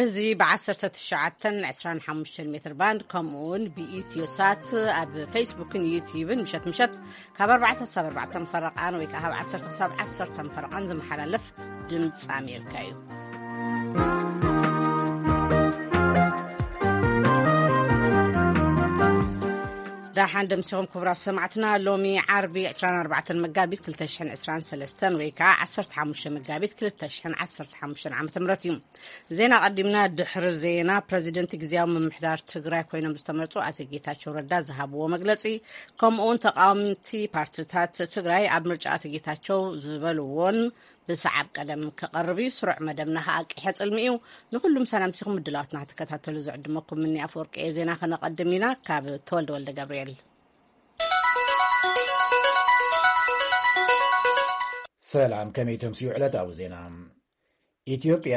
እዚ ብ1925 ሜትር ባንድ፣ ከምኡ እውን ብኢትዮ ሳት ኣብ ፌስቡክን ዩቲዩብን ምሸት ምሸት ካብ ኣርባዕተ ክሳብ ኣርባዕተ ፈረቓን ወይ ከዓ ካብ ዓሰርተ ክሳብ ዓሰርተ ፈረቓን ዝመሓላለፍ ድምፂ ኣሜሪካ እዩ። ዳሓን ደምሲኹም ክቡራት ሰማዕትና። ሎሚ ዓርቢ ዕስራን ኣርባዕተን መጋቢት ክልተ ሽሕን ዕስራን ሰለስተን ወይ ከዓ ዓሰርተ ሓሙሽተ መጋቢት ክልተ ሽሕን ዓሰርተ ሓሙሽተን ዓመተ ምህረት እዩ። ዜና ቀዲምና። ድሕሪ ዜና፣ ፕረዚደንት ግዜያዊ ምምሕዳር ትግራይ ኮይኖም ዝተመርጹ ኣቶ ጌታቸው ረዳ ዝሃብዎ መግለጺ፣ ከምኡ እውን ተቃወምቲ ፓርቲታት ትግራይ ኣብ ምርጫ ኣቶ ጌታቸው ዝበልዎን ብሰዓብ ቀደም ክቐርብ እዩ። ስሩዕ መደብና ከኣ ቂሐ ጽልሚ እዩ። ንኹሉም ሰላም ሲኹም ምድላዋትና ክትከታተሉ ዝዕድመኩም ምኒ ኣፈወርቂ እየ። ዜና ከነቐድም ኢና። ካብ ተወልደ ወልደ ገብርኤል። ሰላም፣ ከመይ ተምስዩ ዕለታዊ ዜና? ኢትዮጵያ፣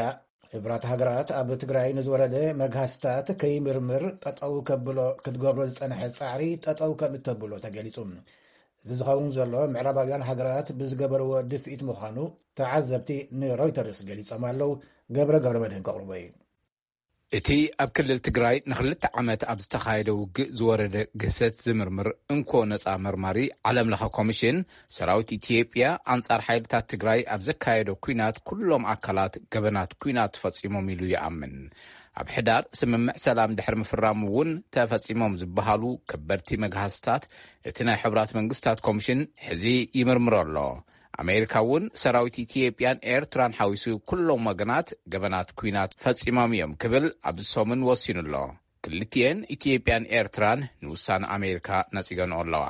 ሕቡራት ሃገራት ኣብ ትግራይ ንዝወረደ መግሃስታት ከይምርምር ጠጠው ከብሎ ክትገብሮ ዝጸንሐ ጻዕሪ ጠጠው ከም እተብሎ ተገሊጹ። እዚ ዝኸውን ዘሎ ምዕራባውያን ሃገራት ብዝገበርዎ ድፍኢት ምዃኑ ተዓዘብቲ ንሮይተርስ ገሊጾም ኣለዉ። ገብረ ገብረ መድህን ከቕርቦ እዩ። እቲ ኣብ ክልል ትግራይ ንክልተ ዓመት ኣብ ዝተኻየደ ውግእ ዝወረደ ግህሰት ዝምርምር እንኮ ነጻ መርማሪ ዓለም ለኸ ኮሚሽን፣ ሰራዊት ኢትዮጵያ ኣንጻር ሓይልታት ትግራይ ኣብ ዘካየዶ ኲናት ኩሎም ኣካላት ገበናት ኲናት ፈጺሞም ኢሉ ይኣምን። ኣብ ሕዳር ስምምዕ ሰላም ድሕሪ ምፍራሙ እውን ተፈጺሞም ዝበሃሉ ከበድቲ መግሃስታት እቲ ናይ ሕቡራት መንግስታት ኮሚሽን ሕዚ ይምርምሮ ኣሎ። ኣሜሪካ እውን ሰራዊት ኢትዮጵያን ኤርትራን ሓዊሱ ኩሎም ወገናት ገበናት ኲናት ፈጺሞም እዮም ክብል ኣብዚ ሰሙን ወሲኑ ኣሎ። ክልቲኤን ኢትዮጵያን ኤርትራን ንውሳነ ኣሜሪካ ነጺገንኦ ኣለዋ።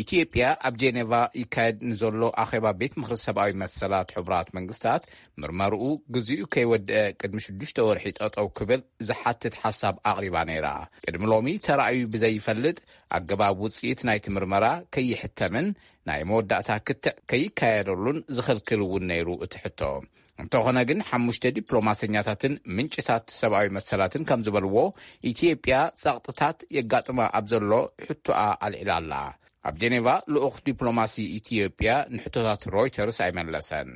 ኢትዮጵያ ኣብ ጄኔቫ ይካየድ ንዘሎ ኣኼባ ቤት ምኽሪ ሰብኣዊ መሰላት ሕቡራት መንግስታት ምርመርኡ ግዜኡ ከይወደአ ቅድሚ ሽዱሽተ ወርሒ ጠጠው ክብል ዝሓትት ሓሳብ ኣቕሪባ ነይራ። ቅድሚ ሎሚ ተራእዩ ብዘይፈልጥ ኣገባብ ውጽኢት ናይቲ ምርመራ ከይሕተምን ናይ መወዳእታ ክትዕ ከይካየደሉን ዝኽልክል እውን ነይሩ እቲ ሕቶ። እንተኾነ ግን ሓሙሽተ ዲፕሎማሰኛታትን ምንጭታት ሰብኣዊ መሰላትን ከም ዝበልዎ፣ ኢትዮጵያ ጸቕጥታት የጋጥማ ኣብ ዘሎ ሕቶኣ ኣልዒላ ኣላ። ኣብ ጄኔቫ ልኡኽ ዲፕሎማሲ ኢትዮጵያ ንሕቶታት ሮይተርስ ኣይመለሰን።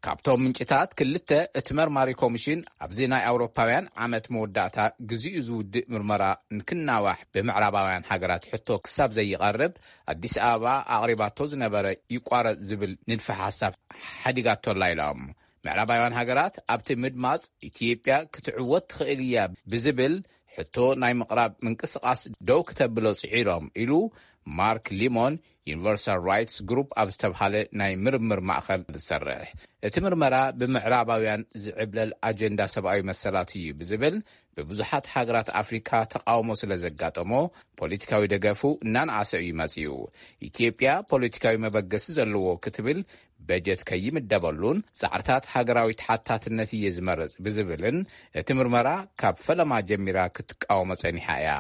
ካብቶም ምንጭታት ክልተ፣ እቲ መርማሪ ኮሚሽን ኣብዚ ናይ ኣውሮፓውያን ዓመት መወዳእታ ግዜኡ ዝውድእ ምርመራ ንክናዋሕ ብምዕራባውያን ሃገራት ሕቶ ክሳብ ዘይቐርብ ኣዲስ ኣበባ ኣቕሪባቶ ዝነበረ ይቋረጽ ዝብል ንድፈ ሓሳብ ሓዲጋቶ ኣላ ኢሎም። ምዕራባውያን ሃገራት ኣብቲ ምድማጽ ኢትዮጵያ ክትዕወት ትኽእል እያ ብዝብል ሕቶ ናይ ምቕራብ ምንቅስቓስ ደው ክተብሎ ጽዒሮም ኢሉ ማርክ ሊሞን ዩኒቨርሳል ራይትስ ግሩፕ ኣብ ዝተብሃለ ናይ ምርምር ማእኸል ዝሰርሕ። እቲ ምርመራ ብምዕራባውያን ዝዕብለል ኣጀንዳ ሰብኣዊ መሰላት እዩ ብዝብል ብብዙሓት ሃገራት ኣፍሪካ ተቃውሞ ስለ ዘጋጠሞ ፖለቲካዊ ደገፉ እናነኣሰ እዩ መጺኡ። ኢትዮጵያ ፖለቲካዊ መበገሲ ዘለዎ ክትብል በጀት ከይምደበሉን ጻዕርታት ሃገራዊ ተሓታትነት እየ ዝመርጽ ብዝብልን እቲ ምርመራ ካብ ፈለማ ጀሚራ ክትቃወሞ ጸኒሓ እያ።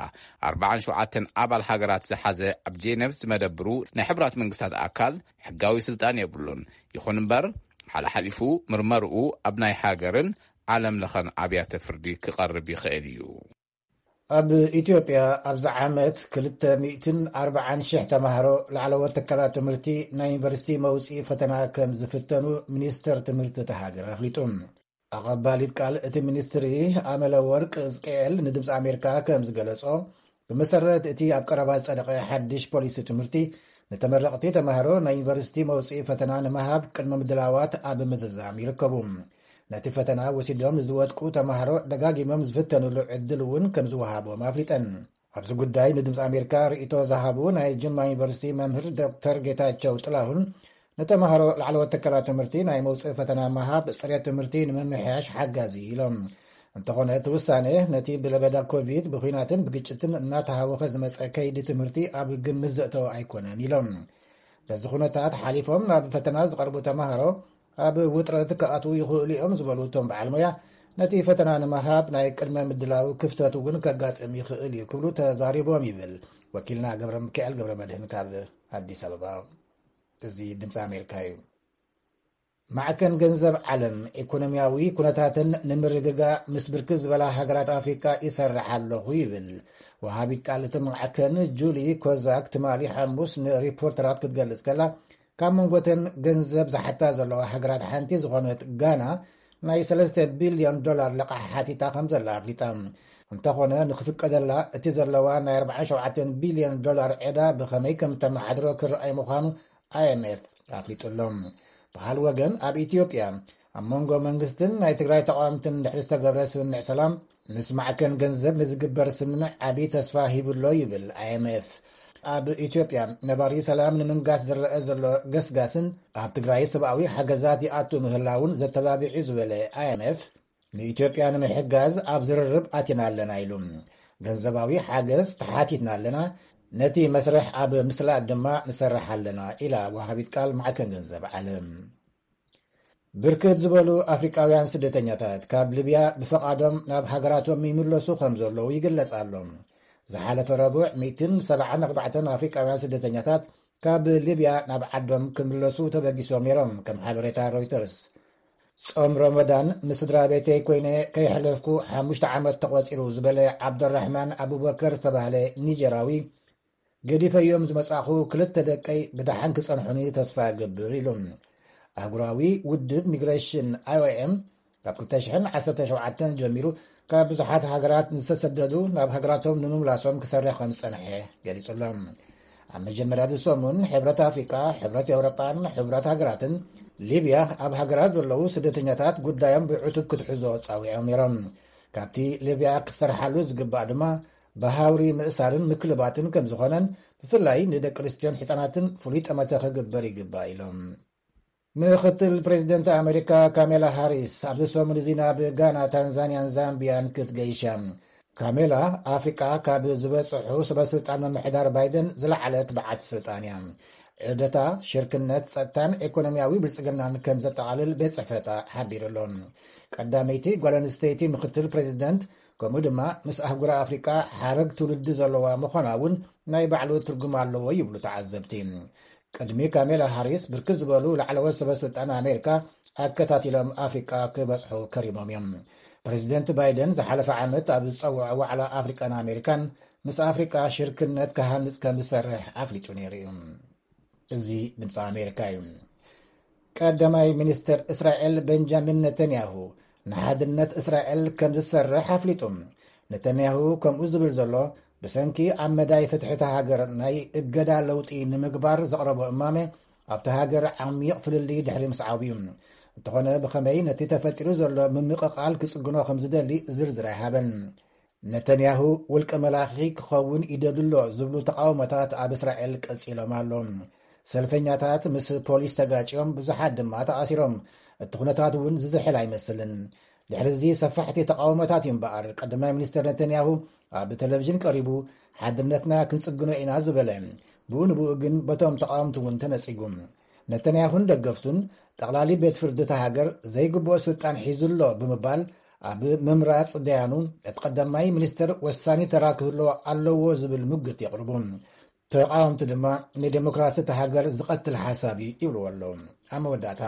ኣርባዓን ሸውዓተን ኣባል ሃገራት ዝሓዘ ኣብ ጄነቭ ዝመደብሩ ናይ ሕቡራት መንግስታት ኣካል ሕጋዊ ስልጣን የብሉን። ይኹን እምበር ሓለሓሊፉ ምርመርኡ ኣብ ናይ ሃገርን ዓለም ለኸን ኣብያተ ፍርዲ ክቐርብ ይኽእል እዩ። ኣብ ኢትዮጵያ ኣብዚ ዓመት ክልተ ሚእትን ኣርባዓን ሽሕ ተማሃሮ ላዕለዎት ትካላት ትምህርቲ ናይ ዩኒቨርሲቲ መውፅኢ ፈተና ከም ዝፍተኑ ሚኒስተር ትምህርቲ እታ ሃገር ኣፍሊጡ። ኣቐባሊት ቃል እቲ ሚኒስትሪ ኣመለ ወርቅ እዝቅኤል ንድምፂ ኣሜሪካ ከም ዝገለጾ፣ ብመሰረት እቲ ኣብ ቀረባ ዝጸደቐ ሓድሽ ፖሊሲ ትምህርቲ፣ ንተመረቕቲ ተማሃሮ ናይ ዩኒቨርሲቲ መውፅኢ ፈተና ንምሃብ ቅድመ ምድላዋት ኣብ ምዝዛም ይርከቡ። ነቲ ፈተና ወሲዶም ንዝወድቁ ተማሃሮ ደጋጊሞም ዝፍተኑሉ ዕድል እውን ከም ዝወሃቦም ኣፍሊጠን። ኣብዚ ጉዳይ ንድምፂ ኣሜሪካ ርእይቶ ዝሃቡ ናይ ጅማ ዩኒቨርሲቲ መምህር ዶክተር ጌታቸው ጥላሁን፣ ንተማሃሮ ላዕለዎት ትካላት ትምህርቲ ናይ መውፅኢ ፈተና ምሃብ ፅሬት ትምህርቲ ንምምሕያሽ ሓጋዚ እዩ ኢሎም። እንተኾነ እቲ ውሳነ ነቲ ብለበዳ ኮቪድ ብኹናትን ብግጭትን እናተሃወኸ ዝመፀ ከይዲ ትምህርቲ ኣብ ግምት ዘእተወ ኣይኮነን ኢሎም። በዚ ኩነታት ሓሊፎም ናብ ፈተና ዝቐርቡ ተማሃሮ ኣብ ውጥረት ክኣትዉ ይኽእሉ እዮም ዝበሉ እቶም በዓል ሞያ፣ ነቲ ፈተና ንምሃብ ናይ ቅድመ ምድላው ክፍተት እውን ከጋጥም ይኽእል እዩ ክብሉ ተዛሪቦም ይብል ወኪልና ገብረ ሚካኤል ገብረ መድህን ካብ ኣዲስ ኣበባ። እዚ ድምፂ ኣሜሪካ እዩ። ማዕከን ገንዘብ ዓለም ኢኮኖሚያዊ ኩነታትን ንምርግጋእ ምስ ብርክት ዝበላ ሃገራት ኣፍሪካ ይሰርሕ ኣለኹ ይብል። ወሃቢት ቃል እቲ ማዕከን ጁሊ ኮዛክ ትማሊ ሓሙስ ንሪፖርተራት ክትገልጽ ከላ፣ ካብ መንጎተን ገንዘብ ዝሓታ ዘለዋ ሃገራት ሓንቲ ዝኾነት ጋና ናይ ሰለስተ ቢልዮን ዶላር ልቓሕ ሓቲታ ከም ዘላ ኣፍሊጣ። እንተኾነ፣ ንክፍቀደላ እቲ ዘለዋ ናይ ኣርባዓን ሸውዓተን ቢልዮን ዶላር ዕዳ ብኸመይ ከም ተመሓድሮ ክረኣይ ምዃኑ ኣይኤምኤፍ ኣፍሊጡ ኣሎ። ብኻል ወገን፣ ኣብ ኢትዮጵያ ኣብ መንጎ መንግስትን ናይ ትግራይ ተቃወምትን ድሕሪ ዝተገብረ ስምምዕ ሰላም፣ ምስ ማዕከን ገንዘብ ንዝግበር ስምምዕ ዓብዪ ተስፋ ሂቡ ኣሎ ይብል ኣይኤምኤፍ። ኣብ ኢትዮጵያ ነባሪ ሰላም ንምንጋስ ዝረአ ዘሎ ገስጋስን ኣብ ትግራይ ሰብኣዊ ሓገዛት ይኣቱ ምህላውን ዘተባቢዑ ዝበለ ኣይኤምኤፍ፣ ንኢትዮጵያ ንምሕጋዝ ኣብ ዝርርብ ኣቲና ኣለና ኢሉ። ገንዘባዊ ሓገዝ ተሓቲትና ኣለና፣ ነቲ መስርሕ ኣብ ምስላጥ ድማ ንሰርሕ ኣለና ኢላ ወሃቢት ቃል ማዕከን ገንዘብ ዓለም። ብርክት ዝበሉ ኣፍሪቃውያን ስደተኛታት ካብ ሊብያ ብፈቓዶም ናብ ሃገራቶም ይምለሱ ከም ዘለዉ ይግለጽ ኣሎ። ዝሓለፈ ረቡዕ ሚእትን ሰብዓን ኣርባዕተን ኣፍሪቃውያን ስደተኛታት ካብ ሊብያ ናብ ዓዶም ክምለሱ ተበጊሶም ነይሮም፣ ከም ሓበሬታ ሮይተርስ። ጾም ረመዳን ምስ ስድራ ቤተይ ኮይነ ከየሕለፍኩ ሓሙሽተ ዓመት ተቖጺሩ ዝበለ ዓብደራሕማን ኣቡበከር ዝተባህለ ኒጀራዊ፣ ገዲፈዮም ዝመጻኹ ክልተ ደቀይ ብደሓን ክጸንሑኒ ተስፋ እገብር ኢሉ። ኣህጉራዊ ውድብ ሚግሬሽን፣ ኣይኦኤም፣ ካብ ክልተ ሽሕን ዓሰርተ ሸውዓተን ጀሚሩ ካብ ብዙሓት ሃገራት ዝተሰደዱ ናብ ሃገራቶም ንምምላሶም ክሰርሕ ከም ዝጸንሐ ገሊጹ ኣሎ። ኣብ መጀመርያ እዚ ሰሙን፣ ሕብረት ኣፍሪቃ፣ ሕብረት ኤውሮጳን ሕብረት ሃገራትን ሊብያ ኣብ ሃገራት ዘለዉ ስደተኛታት ጉዳዮም ብዕቱብ ክትሕዞ ጻዊዖም ነይሮም። ካብቲ ሊብያ ክሰርሓሉ ዝግባእ ድማ ብሃውሪ ምእሳርን ምክልባትን ከም ዝኾነን፣ ብፍላይ ንደቂ ኣንስትዮን ህጻናትን ፍሉይ ጠመተ ክግበር ይግባእ ኢሎም። ምክትል ፕሬዚደንት ኣሜሪካ ካሜላ ሃሪስ ኣብዚ ሰሙን እዚ ናብ ጋና፣ ታንዛንያን ዛምቢያን ክትገይሽ እያ። ካሜላ፣ ኣፍሪቃ ካብ ዝበጽሑ ሰበ ስልጣን ምምሕዳር ባይደን ዝለዓለት በዓልቲ ስልጣን እያ። ዑደታ ሽርክነት፣ ጸጥታን ኤኮኖሚያዊ ብልጽግናን ከም ዘጠቓልል ቤት ጽሕፈታ ሓቢሩ ኣሎ። ቀዳመይቲ ጓል ኣንስተይቲ ምክትል ፕሬዚደንት፣ ከምኡ ድማ ምስ ኣህጉር ኣፍሪቃ ሓረግ ትውልዲ ዘለዋ ምዃና እውን ናይ ባዕሉ ትርጉም ኣለዎ ይብሉ ተዓዘብቲ። ቅድሚ ካሜላ ሃሪስ፣ ብርክት ዝበሉ ላዕለዎት ሰበ ስልጣን ኣሜሪካ ኣከታቲሎም ኣፍሪቃ ክበጽሑ ከሪሞም እዮም። ፕሬዚደንት ባይደን ዝሓለፈ ዓመት ኣብ ዝጸውዖ ዋዕላ ኣፍሪቃን ኣሜሪካን፣ ምስ ኣፍሪቃ ሽርክነት ክሃንጽ ከም ዝሰርሕ ኣፍሊጡ ነይሩ እዩ። እዚ ድምፂ ኣሜሪካ እዩ። ቀዳማይ ሚኒስትር እስራኤል ቤንጃሚን ነተንያሁ ንሓድነት እስራኤል ከም ዝሰርሕ ኣፍሊጡ። ነተንያሁ ከምኡ ዝብል ዘሎ፣ ብሰንኪ ኣብ መዳይ ፍትሒ እታ ሃገር ናይ እገዳ ለውጢ ንምግባር ዘቕረቦ እማመ ኣብታ ሃገር ዓሚቕ ፍልልይ ድሕሪ ምስዓቡ እዩ። እንተኾነ፣ ብኸመይ ነቲ ተፈጢሩ ዘሎ ምምቕቓል ክጽግኖ ከም ዝደሊ ዝርዝር ኣይሃበን። ነተንያሁ ውልቀ መላኺ ክኸውን ይደሊ ኣሎ ዝብሉ ተቓውሞታት ኣብ እስራኤል ቀጺሎም ኣሎ። ሰልፈኛታት ምስ ፖሊስ ተጋጭዮም፣ ብዙሓት ድማ ተኣሲሮም። እቲ ኩነታት እውን ዝዝሕል ኣይመስልን። ድሕሪ እዚ ሰፋሕቲ ተቓውሞታት እዩ እምበኣር፣ ቀዳማይ ሚኒስትር ነተንያሁ ኣብ ቴሌቪዥን ቀሪቡ፣ ሓድነትና ክንጽግኖ ኢና ዝበለ። ብኡ ንብኡ ግን በቶም ተቓወምቲ እውን ተነጺጉ። ነተንያሁን ደገፍቱን፣ ጠቕላሊ ቤት ፍርዲ እታ ሃገር ዘይግብኦ ስልጣን ሒዙ ኣሎ ብምባል፣ ኣብ ምምራጽ ደያኑ እቲ ቀዳማይ ሚኒስትር ወሳኒ ተራ ክህልዎ ኣለዎ ዝብል ሙግት የቕርቡ። ተቓወምቲ ድማ፣ ንዴሞክራሲ እታ ሃገር ዝቐትል ሓሳብ እዩ ይብልዎ ኣለዉ። ኣብ መወዳእታ፣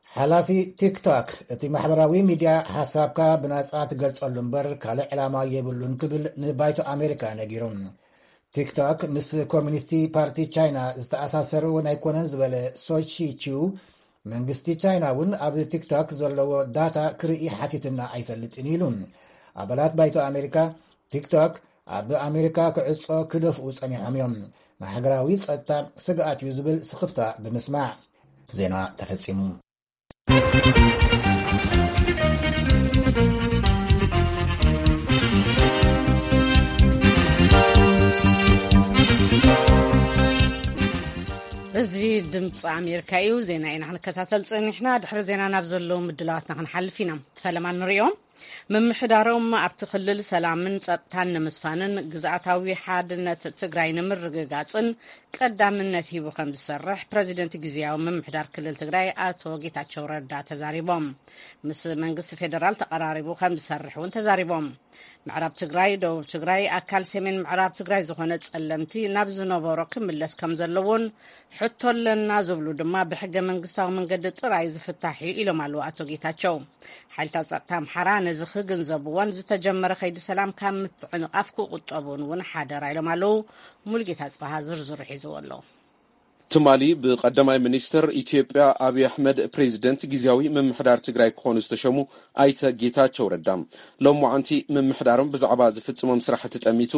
ሓላፊ ቲክቶክ፣ እቲ ማሕበራዊ ሚድያ ሓሳብካ ብናጻ ትገልጸሉ እምበር ካልእ ዕላማ የብሉን ክብል ንባይቶ ኣሜሪካ ነጊሩ። ቲክቶክ ምስ ኮሚኒስቲ ፓርቲ ቻይና ዝተኣሳሰሩ ኣይኮነን ዝበለ ሶቺ ቺው፣ መንግስቲ ቻይና እውን ኣብ ቲክቶክ ዘለዎ ዳታ ክርኢ ሓቲትና ኣይፈልጥን ኢሉ። ኣባላት ባይቶ ኣሜሪካ፣ ቲክቶክ ኣብ ኣሜሪካ ክዕጾ ክደፍኡ ጸኒሖም እዮም። ንሃገራዊ ጸጥታ ስግኣት እዩ ዝብል ስኽፍታ ብምስማዕ። ዜና ተፈጺሙ። እዚ ድምፂ ኣሜሪካ እዩ። ዜና ኢና ክንከታተል ፀኒሕና። ድሕሪ ዜና ናብ ዘለዉ ምድላዋትና ክንሓልፍ ኢና። ፈለማ ንሪኦም። ምምሕዳሮም ኣብቲ ክልል ሰላምን ጸጥታን ንምስፋንን ግዝኣታዊ ሓድነት ትግራይ ንምርግጋጽን ቀዳምነት ሂቡ ከም ዝሰርሕ ፕረዚደንት ግዝያዊ ምምሕዳር ክልል ትግራይ ኣቶ ጌታቸው ረዳ ተዛሪቦም። ምስ መንግስቲ ፌደራል ተቐራሪቡ ከም ዝሰርሕ እውን ተዛሪቦም። ምዕራብ ትግራይ፣ ደቡብ ትግራይ፣ ኣካል ሰሜን ምዕራብ ትግራይ ዝኾነ ጸለምቲ ናብ ዝነበሮ ክምለስ ከም ዘለዎን ሕቶ ኣለና ዝብሉ ድማ ብሕገ መንግስታዊ መንገዲ ጥራይ ዝፍታሕ እዩ ኢሎም ኣለዉ ኣቶ ጌታቸው። ሓይልታት ጸጥታ ኣምሓራ ነዚ ክግንዘብዎን ዝተጀመረ ከይዲ ሰላም ካብ ምትዕንቓፍ ክቑጠቡን እውን ሓደራ ኢሎም ኣለዉ። ሙሉጌታ ጽባሃ ዝርዝሩ ሒዝዎ ኣሎ። ትማሊ ብቀዳማይ ሚኒስትር ኢትዮጵያ ኣብይ ኣሕመድ ፕሬዚደንት ግዝያዊ ምምሕዳር ትግራይ ክኾኑ ዝተሸሙ ኣይተ ጌታቸው ረዳ፣ ሎማዓንቲ ምምሕዳሮም ብዛዕባ ዝፍጽሞም ስራሕቲ ጠሚቱ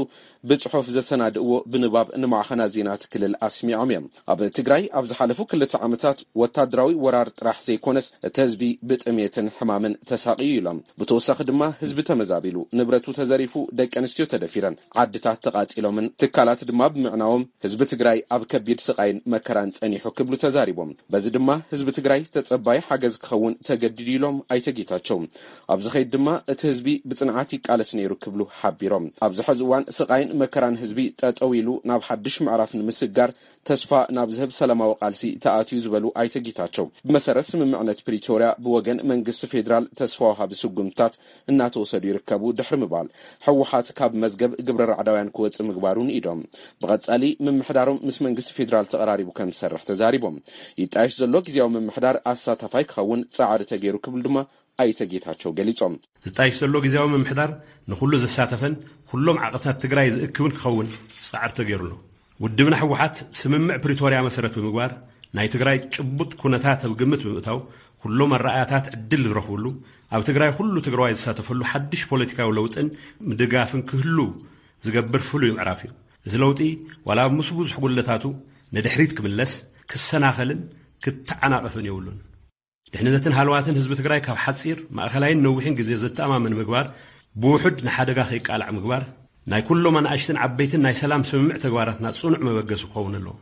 ብጽሑፍ ዘሰናድእዎ ብንባብ ንማዕኸናት ዜናት ክልል ኣስሚዖም እዮም። ኣብ ትግራይ ኣብ ዝሓለፉ ክልተ ዓመታት ወታደራዊ ወራር ጥራሕ ዘይኮነስ፣ እቲ ህዝቢ ብጥሜትን ሕማምን ተሳቕዩ ኢሎም። ብተወሳኺ ድማ ህዝቢ ተመዛቢሉ፣ ንብረቱ ተዘሪፉ፣ ደቂ ኣንስትዮ ተደፊረን፣ ዓድታት ተቓጺሎምን ትካላት ድማ ብምዕናዎም ህዝቢ ትግራይ ኣብ ከቢድ ስቓይን መከራን ጸኒሑ ክብሉ ተዛሪቦም። በዚ ድማ ህዝቢ ትግራይ ተጸባይ ሓገዝ ክኸውን ተገዲዱ ኢሎም ኣይተ ጌታቸው። ኣብ ዝኸይድ ድማ እቲ ህዝቢ ብጽንዓት ይቃለስ ነይሩ ክብሉ ሓቢሮም። ኣብዚ ሕዚ እዋን ስቓይን መከራን ህዝቢ ጠጠው ኢሉ ናብ ሓድሽ ምዕራፍ ንምስጋር ተስፋ ናብ ዝህብ ሰላማዊ ቃልሲ ተኣትዩ ዝበሉ ኣይተ ጌታቸው፣ ብመሰረት ስምምዕነት ፕሪቶርያ ብወገን መንግስቲ ፌዴራል ተስፋ ወሃቢ ስጉምትታት እናተወሰዱ ይርከቡ ድሕሪ ምባል፣ ህወሓት ካብ መዝገብ ግብረ ራዕዳውያን ክወጽእ ምግባሩ ንኢዶም። ብቐጻሊ ምምሕዳሮም ምስ መንግስቲ ፌዴራል ተቐራሪቡ ከም ዝሰርሕ ተዛሪቦም። ይጣየሽ ዘሎ ግዝያዊ ምምሕዳር ኣሳታፋይ ክኸውን ጻዕሪ ተገይሩ ክብል ድማ ኣይተ ጌታቸው ገሊጾም። ዝጣይሽ ዘሎ ግዝያዊ ምምሕዳር ንኹሉ ዘሳተፈን ኩሎም ዓቕብታት ትግራይ ዝእክብን ክኸውን ጻዕሪ ተገይሩ ኣሎ። ውድብና ህወሓት ስምምዕ ፕሪቶርያ መሰረት ብምግባር ናይ ትግራይ ጭቡጥ ኩነታት ኣብ ግምት ብምእታው ኩሎም ኣረኣያታት ዕድል ዝረኽብሉ ኣብ ትግራይ ኩሉ ትግራዋይ ዝሳተፈሉ ሓድሽ ፖለቲካዊ ለውጥን ምድጋፍን ክህሉ ዝገብር ፍሉይ ምዕራፍ እዩ። እዚ ለውጢ ዋላ ኣብ ምስ ብዙሕ ጉድለታቱ ንድሕሪት ክምለስ ክሰናኸልን ክተዓናቐፍን የብሉን። ድሕንነትን ሃለዋትን ህዝቢ ትግራይ ካብ ሓፂር፣ ማእኸላይን ነዊሕን ግዜ ዘተኣማምን ምግባር፣ ብውሑድ ንሓደጋ ከይቃላዕ ምግባር፣ ናይ ኩሎም ኣናእሽትን ዓበይትን ናይ ሰላም ስምምዕ ተግባራትና ፅኑዕ መበገሲ ክኸውን ኣለዎ።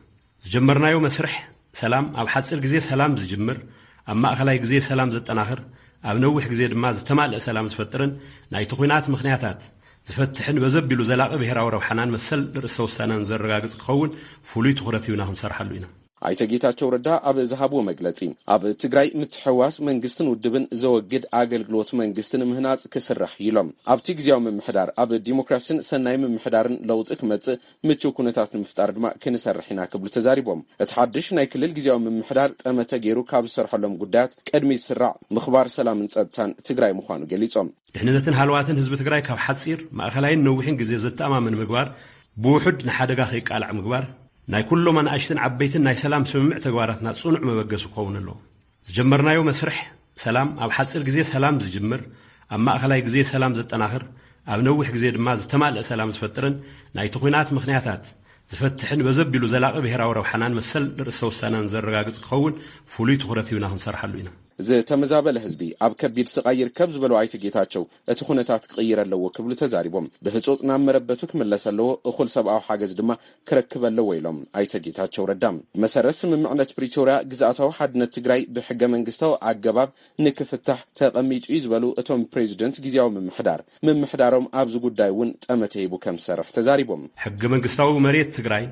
ዝጀመርናዮ መስርሕ ሰላም ኣብ ሓፂር ግዜ ሰላም ዝጅምር፣ ኣብ ማእኸላይ ግዜ ሰላም ዘጠናኽር፣ ኣብ ነዊሕ ግዜ ድማ ዝተማልአ ሰላም ዝፈጥርን ናይቲ ኲናት ምኽንያታት ዝፈትሕን በዘቢሉ ዘላቒ ብሄራዊ ረብሓናን መሰል ርእሰ ውሳነን ዘረጋግፅ ክኸውን ፍሉይ ትኹረት ሂብና ክንሰርሓሉ ኢና። ኣይተ ጌታቸው ረዳ ኣብ ዝሃብዎ መግለጺ፣ ኣብ ትግራይ ምትሕውዋስ መንግስትን ውድብን ዘወግድ ኣገልግሎት መንግስቲ ንምህናጽ ክስራሕ ኢሎም። ኣብቲ ግዝያዊ ምምሕዳር ኣብ ዲሞክራሲን ሰናይ ምምሕዳርን ለውጢ ክመጽእ ምቹው ኩነታት ንምፍጣር ድማ ክንሰርሕ ኢና ክብሉ ተዛሪቦም። እቲ ሓድሽ ናይ ክልል ግዝያዊ ምምሕዳር ጠመተ ገይሩ ካብ ዝሰርሐሎም ጉዳያት ቅድሚ ዝስራዕ ምኽባር ሰላምን ጸጥታን ትግራይ ምዃኑ ገሊጾም። ድሕንነትን ሃለዋትን ህዝቢ ትግራይ ካብ ሓጺር፣ ማእኸላይን ነዊሕን ግዜ ዘተኣማምን ምግባር፣ ብውሑድ ንሓደጋ ከይቃላዕ ምግባር፣ ናይ ኩሎም ኣናእሽትን ዓበይትን ናይ ሰላም ስምምዕ ተግባራትና ጽኑዕ መበገሲ ክኸውን ኣለዎ። ዝጀመርናዮ መስርሕ ሰላም ኣብ ሓጺር ግዜ ሰላም ዝጅምር፣ ኣብ ማእኸላይ ግዜ ሰላም ዘጠናኽር፣ ኣብ ነዊሕ ግዜ ድማ ዝተማልአ ሰላም ዝፈጥርን ናይቲ ኲናት ምኽንያታት ዝፈትሕን በዘቢሉ ዘላቒ ብሄራዊ ረብሓናን መሰል ርእሰ ውሳነን ዘረጋግጽ ክኸውን ፍሉይ ትኹረት ሂብና ክንሰርሓሉ ኢና። ዝተመዛበለ ህዝቢ ኣብ ከቢድ ስቓይ ይርከብ ዝበሉ ኣይተ ጌታቸው፣ እቲ ኩነታት ክቕይር ኣለዎ ክብሉ ተዛሪቦም። ብህጹጽ ናብ መረበቱ ክምለስ ኣለዎ፣ እኹል ሰብኣዊ ሓገዝ ድማ ክረክብ ኣለዎ ኢሎም ኣይተ ጌታቸው ረዳ። መሰረት ስምምዕነት ፕሪቶርያ ግዝኣታዊ ሓድነት ትግራይ ብሕገ መንግስታዊ ኣገባብ ንክፍታሕ ተቐሚጡ እዩ ዝበሉ እቶም ፕሬዚደንት ግዝያዊ ምምሕዳር፣ ምምሕዳሮም ኣብዚ ጉዳይ እውን ጠመተ ሂቡ ከም ዝሰርሕ ተዛሪቦም። ሕገ መንግስታዊ መሬት ትግራይ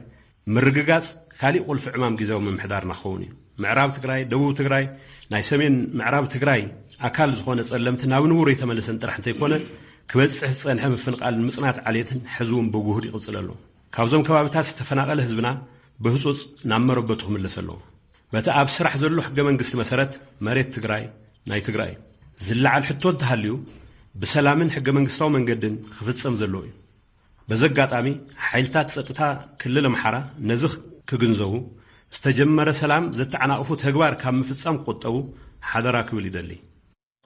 ምርግጋጽ ካሊእ ቁልፊ ዕማም ግዝያዊ ምምሕዳርና ክኸውን እዩ። ምዕራብ ትግራይ፣ ደቡብ ትግራይ፣ ናይ ሰሜን ምዕራብ ትግራይ ኣካል ዝኾነ ጸለምቲ ናብ ንቡር የተመለሰን ጥራሕ እንተይኮነ፣ ክበጽሕ ዝጸንሐ ምፍንቓልን ምጽናት ዓሌትን ሕዚ እውን ብጉሁድ ይቕጽል ኣሎ። ካብዞም ከባቢታት ዝተፈናቐለ ህዝብና ብህጹጽ ናብ መረበቱ ክምለስ ኣለዎ። በቲ ኣብ ስራሕ ዘሎ ሕገ መንግስቲ መሰረት መሬት ትግራይ ናይ ትግራይ እዩ። ዝለዓል ሕቶ እንተሃልዩ ብሰላምን ሕገ መንግስታዊ መንገድን ክፍጸም ዘለዎ እዩ። በዚ ኣጋጣሚ ሓይልታት ጸጥታ ክልል ኣምሓራ ነዚ ክግንዘቡ፣ ዝተጀመረ ሰላም ዘተዓናቕፉ ተግባር ካብ ምፍጻም ክቑጠቡ ሓደራ ክብል ይደሊ።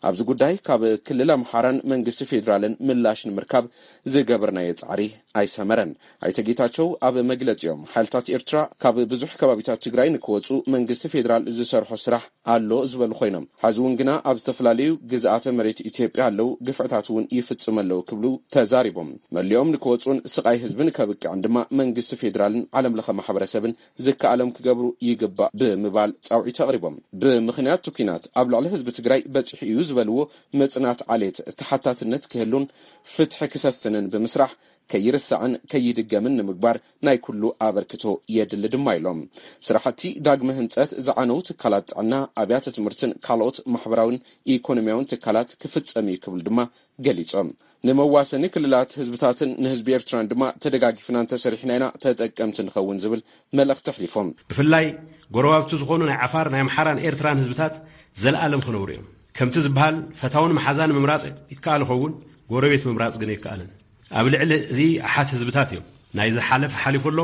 ኣብዚ ጉዳይ ካብ ክልል ኣምሓራን መንግስቲ ፌዴራልን ምላሽ ንምርካብ ዝገበርናዮ ጻዕሪ ኣይሰመረን። ኣይተ ጌታቸው ኣብ መግለጺኦም፣ ሓይልታት ኤርትራ ካብ ብዙሕ ከባቢታት ትግራይ ንክወጹ መንግስቲ ፌዴራል ዝሰርሖ ስራሕ ኣሎ ዝበሉ ኮይኖም፣ ሕዚ እውን ግና ኣብ ዝተፈላለዩ ግዝኣተ መሬት ኢትዮጵያ ኣለዉ፣ ግፍዕታት እውን ይፍጽሙ ኣለዉ ክብሉ ተዛሪቦም። መሊኦም ንክወጹን ስቓይ ህዝብን ከብቅዕን ድማ መንግስቲ ፌዴራልን ዓለም ለኸ ማሕበረሰብን ዝከኣሎም ክገብሩ ይግባእ ብምባል ጻውዒት ኣቕሪቦም። ብምኽንያት እቲ ኲናት ኣብ ልዕሊ ህዝቢ ትግራይ በጺሑ እዩ ዝበልዎ ምጽናት ዓሌት ተሓታትነት ክህሉን ፍትሒ ክሰፍንን ብምስራሕ ከይርሳዕን ከይድገምን ንምግባር ናይ ኩሉ ኣበርክቶ የድሊ ድማ ኢሎም። ስራሕቲ ዳግመ ህንጸት ዝዓነው ትካላት ጥዕና፣ ኣብያተ ትምህርትን ካልኦት ማሕበራውን ኢኮኖሚያውን ትካላት ክፍጸም እዩ ክብል ድማ ገሊጾም። ንመዋሰኒ ክልላት ህዝብታትን ንህዝቢ ኤርትራን ድማ ተደጋጊፍና እንተሰሪሕና ኢና ተጠቀምቲ ንኸውን ዝብል መልእኽቲ ኣሕሊፎም። ብፍላይ ጎረባብቲ ዝኾኑ ናይ ዓፋር፣ ናይ ኣምሓራን ኤርትራን ህዝብታት ዘለኣለም ክነብሩ እዮም። ከምቲ ዝበሃል ፈታውን መሓዛን ምምራጽ ይከኣል ይኸውን፣ ጎረቤት ምምራጽ ግን ኣይከኣልን። ኣብ ልዕሊ እዚ ኣሓት ህዝብታት እዮም። ናይ ዝሓለፈ ሓሊፉ ኣሎ፣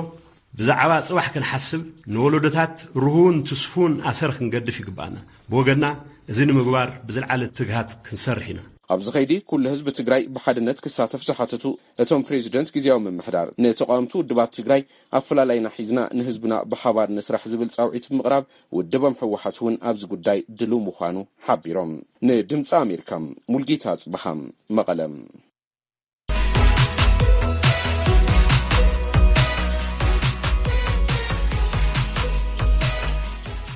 ብዛዕባ ጽባሕ ክንሓስብ፣ ንወለዶታት ርሁውን ትስፉውን ኣሰር ክንገድፍ ይግባኣና። ብወገንና፣ እዚ ንምግባር ብዝለዓለ ትግሃት ክንሰርሕ ኢና። ኣብዚ ኸይዲ፣ ኩሉ ህዝቢ ትግራይ ብሓድነት ክሳተፍ ዝሓተቱ እቶም ፕሬዚደንት ግዜያዊ ምምሕዳር፣ ንተቓወምቲ ውድባት ትግራይ ኣፈላላይና ሒዝና ንህዝብና ብሓባር ንስራሕ ዝብል ጻውዒት ብምቕራብ፣ ውድቦም ህወሓት እውን ኣብዚ ጉዳይ ድሉው ምዃኑ ሓቢሮም። ንድምፂ ኣሜሪካ፣ ሙልጌታ ጽብሃ፣ መቐለ።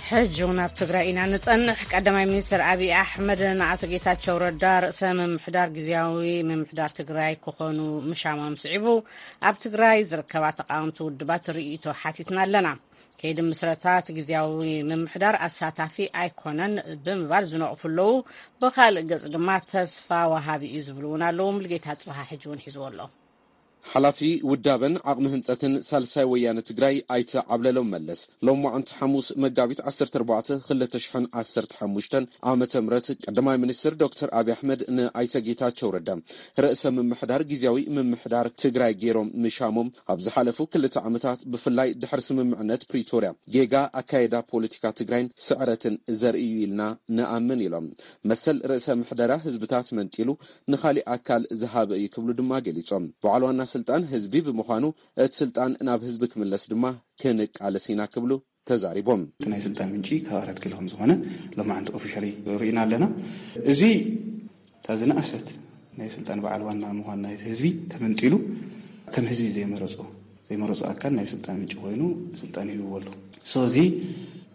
ሕጂ እውን ኣብ ትግራይ ኢና ንጸንሕ። ቀዳማይ ሚኒስትር ኣብይ ኣሕመድ ንኣቶ ጌታቸው ረዳ፣ ርእሰ ምምሕዳር ግዜያዊ ምምሕዳር ትግራይ ክኾኑ ምሻሞም ስዒቡ፣ ኣብ ትግራይ ዝርከባ ተቓወምቲ ውድባት ርእይቶ ሓቲትና ኣለና። ከይዲ ምስረታ እቲ ግዜያዊ ምምሕዳር ኣሳታፊ ኣይኮነን ብምባል ዝነቕፉ ኣለዉ። ብኻልእ ገጽ ድማ ተስፋ ወሃቢ እዩ ዝብሉ እውን ኣለዉ። ሙልጌታ ጽብሃ ሕጂ እውን ሒዝዎ ኣሎ። ሓላፊ ውዳበን ዓቕሚ ህንፀትን ሳልሳይ ወያነ ትግራይ ኣይተ ዓብለሎም መለስ፣ ሎማዕንቲ ሓሙስ መጋቢት ዓሰርተ ኣርባዕተ ክልተ ሽሕን ዓሰርተ ሓሙሽተን ዓመተ ምህረት፣ ቀዳማይ ሚኒስትር ዶክተር ኣብይ ኣሕመድ ንኣይተ ጌታቸው ረዳ ርእሰ ምምሕዳር ግዜያዊ ምምሕዳር ትግራይ ገይሮም ምሻሞም፣ ኣብ ዝሓለፉ ክልተ ዓመታት ብፍላይ ድሕሪ ስምምዕነት ፕሪቶርያ ጌጋ ኣካየዳ ፖለቲካ ትግራይን ስዕረትን ዘርእዩ ኢልና ንኣምን ኢሎም። መሰል ርእሰ ምሕደራ ህዝብታት መንጢሉ ንኻሊእ ኣካል ዝሃበ እዩ ክብሉ ድማ ገሊጾም። በዓል ዋና ስልጣን ህዝቢ ብምዃኑ፣ እቲ ስልጣን ናብ ህዝቢ ክምለስ ድማ ክንቃለስ ኢና ክብሉ ተዛሪቦም። እቲ ናይ ስልጣን ምንጪ ካብ ኣራት ኪሎ ከም ዝኾነ ሎማዓንቲ ኦፊሻሊ ርኢና ኣለና። እዚ እታ ዝነኣሰት ናይ ስልጣን በዓል ዋና ምዃን ናይቲ ህዝቢ ተመንጢሉ፣ ከም ህዝቢ ዘይመረጾ ዘይመረጾ ኣካል ናይ ስልጣን ምንጪ ኮይኑ ስልጣን ይህብዎ ኣሎ። ሶ እዚ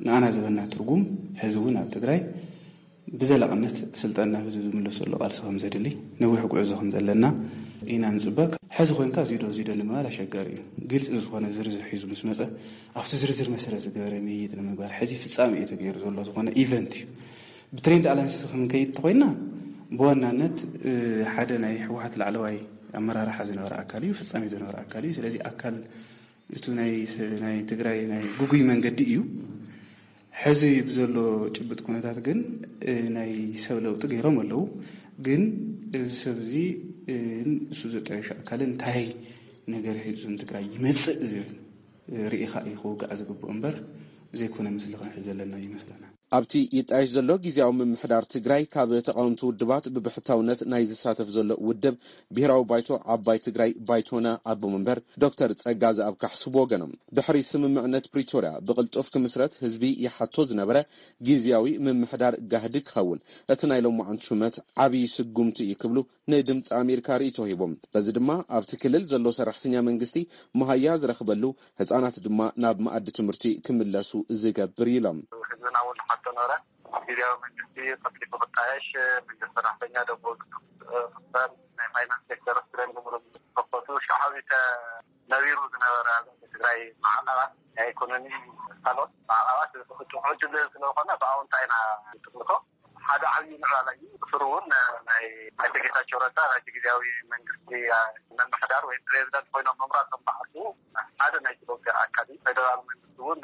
ንኣና ዝበና ትርጉም ሕዚ እውን ኣብ ትግራይ ብዘላቕነት ስልጣን ናብ ህዝቢ ዝምለሰሉ ቃልሲ ከም ዘድሊ፣ ነዊሕ ጉዕዞ ከም ዘለና ኢና ንፅበ። ሕዚ ኮይንካ እዚዶ እዚዶ ንምባል ኣሸጋሪ እዩ። ግልፂ ዝኾነ ዝርዝር ሒዙ ምስ መፀ ኣብቲ ዝርዝር መሰረት ዝገበረ ምይይጥ ንምግባር ሕዚ ፍፃመ እዩ ተገይሩ ዘሎ ዝኾነ ኢቨንት እዩ። ብትሬንድ ኣላንሲስ ክንከይድ እንተኮይና ብዋናነት ሓደ ናይ ህወሓት ላዕለዋይ ኣመራርሓ ዝነበረ ኣካል እዩ፣ ፍፃሜ ዝነበረ ኣካል እዩ። ስለዚ ኣካል እቱ ናይ ትግራይ ናይ ጉጉይ መንገዲ እዩ። ሕዚ ብዘሎ ጭብጥ ኩነታት ግን ናይ ሰብ ለውጢ ገይሮም ኣለዉ። ግን እዚ ሰብ እዚ እሱ ዘጣየሹ ኣካል እንታይ ነገር ሒዙ ንትግራይ ይመፅእ ዝብል ርኢኻ እዩ ክውጋዕ ዝግብኦ እምበር ዘይኮነ ምስሊ ክንሕዝ ዘለና ይመስለና። ኣብቲ ይጣየሽ ዘሎ ግዜያዊ ምምሕዳር ትግራይ ካብ ተቓወምቲ ውድባት ብብሕታውነት ናይ ዝሳተፍ ዘሎ ውድብ ብሄራዊ ባይቶ ዓባይ ትግራይ ባይቶና ኣቦ መንበር ዶክተር ጸጋዝኣብ ካሕሱ ብወገኖም ድሕሪ ስምምዕነት ፕሪቶርያ ብቕልጡፍ ክምስረት ህዝቢ ይሓቶ ዝነበረ ግዜያዊ ምምሕዳር ጋህዲ ክኸውን እቲ ናይ ሎማዓንቲ ሹመት ዓብዪ ስጉምቲ እዩ ክብሉ ንድምፂ ኣሜሪካ ርእይቶ ሂቦም። በዚ ድማ ኣብቲ ክልል ዘሎ ሰራሕተኛ መንግስቲ መሃያ ዝረኽበሉ፣ ህፃናት ድማ ናብ መኣዲ ትምህርቲ ክምለሱ ዝገብር እዩ ኢሎም። ህዝብና እውን ሓቶ ነበረ። ግዜያዊ መንግስቲ ቀልጢፉ ክጣየሽ፣ መንግስቲ ሰራሕተኛ ደሞዝ ክኽፈል፣ ናይ ፋይናንስ ሴክተር ስረን ብምሉእ ክኸፈቱ፣ ሸዓዊተ ነቢሩ ዝነበረ ኣብ ትግራይ ማዕቐባት ናይ ኢኮኖሚ ካልኦት ማዕቐባት ክጥፍሑ ዕድል ስለዝኾነ ብኣውንታ ኢና ንጥምቶ። ሓደ ዓብዪ ምዕባለ እዩ። ብስሩ እውን ናይ ኣይተ ጌታቸው ረዳ ናይቲ ግዜያዊ መንግስቲ ምምሕዳር ወይ ፕሬዚደንት ኮይኖም ምምራፆም በዓልቱ ሓደ ናይቲ ለውጢ ኣካል እዩ። ፌደራል መንግስቲ እውን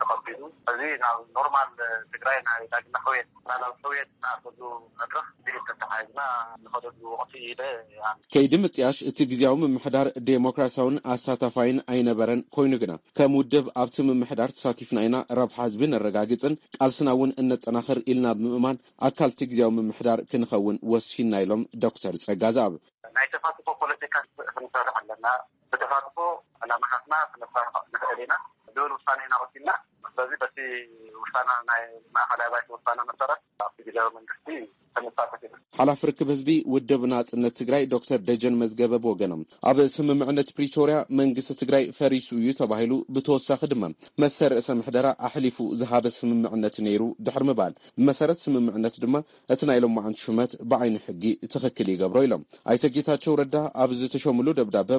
ተቐቢሉ እዚ ናብ ኖርማል ትግራይ ናይ ዳግመ ሕውየት ናብ ሕውየት ንኣተሉ መድረኽ ብኢድ ተተሓሒዝና ንኸደሉ ወቕቲ ኢለ ይኣምን። ከይዲ ምጥያሽ እቲ ግዜያዊ ምምሕዳር ዴሞክራሲያውን ኣሳታፋይን ኣይነበረን። ኮይኑ ግና ከም ውድብ ኣብቲ ምምሕዳር ተሳቲፍና ኢና፣ ረብሓ ህዝቢ ነረጋግፅን ቃልስና እውን እነጠናኽር ኢልና ብምእማን ኣካል እቲ ግዜያዊ ምምሕዳር ክንኸውን ወሲንና ኢሎም ዶክተር ጸጋዝኣብ። ናይ ተሳትፎ ፖለቲካ ክንሰርሕ ኣለና። ብተሳትፎ ዕላማታትና ክነሳኽዕ ንኽእል ኢና ዝብል ውሳነ ኢና ወሲንና። ስለዚ በቲ ውሳነ ናይ ማእኸላይ ባይቶ ውሳነ መሰረት ኣብቲ ግዜያዊ መንግስቲ ክንሳተፍ ኢና። ሓላፊ ርክብ ህዝቢ ውድብ ናጽነት ትግራይ ዶክተር ደጀን መዝገበ ብወገኖም ኣብ ስምምዕነት ፕሪቶርያ መንግስቲ ትግራይ ፈሪሱ እዩ ተባሂሉ ብተወሳኺ ድማ መሰል ርእሰ ምሕደራ ኣሕሊፉ ዝሃበ ስምምዕነት ነይሩ ድሕሪ ምባል ብመሰረት ስምምዕነት ድማ እቲ ናይ ሎማዓንቲ ሹመት ብዓይኒ ሕጊ ትኽክል ይገብሮ ኢሎም። ኣይተ ጌታቸው ረዳ ኣብ ዝተሾምሉ ደብዳበ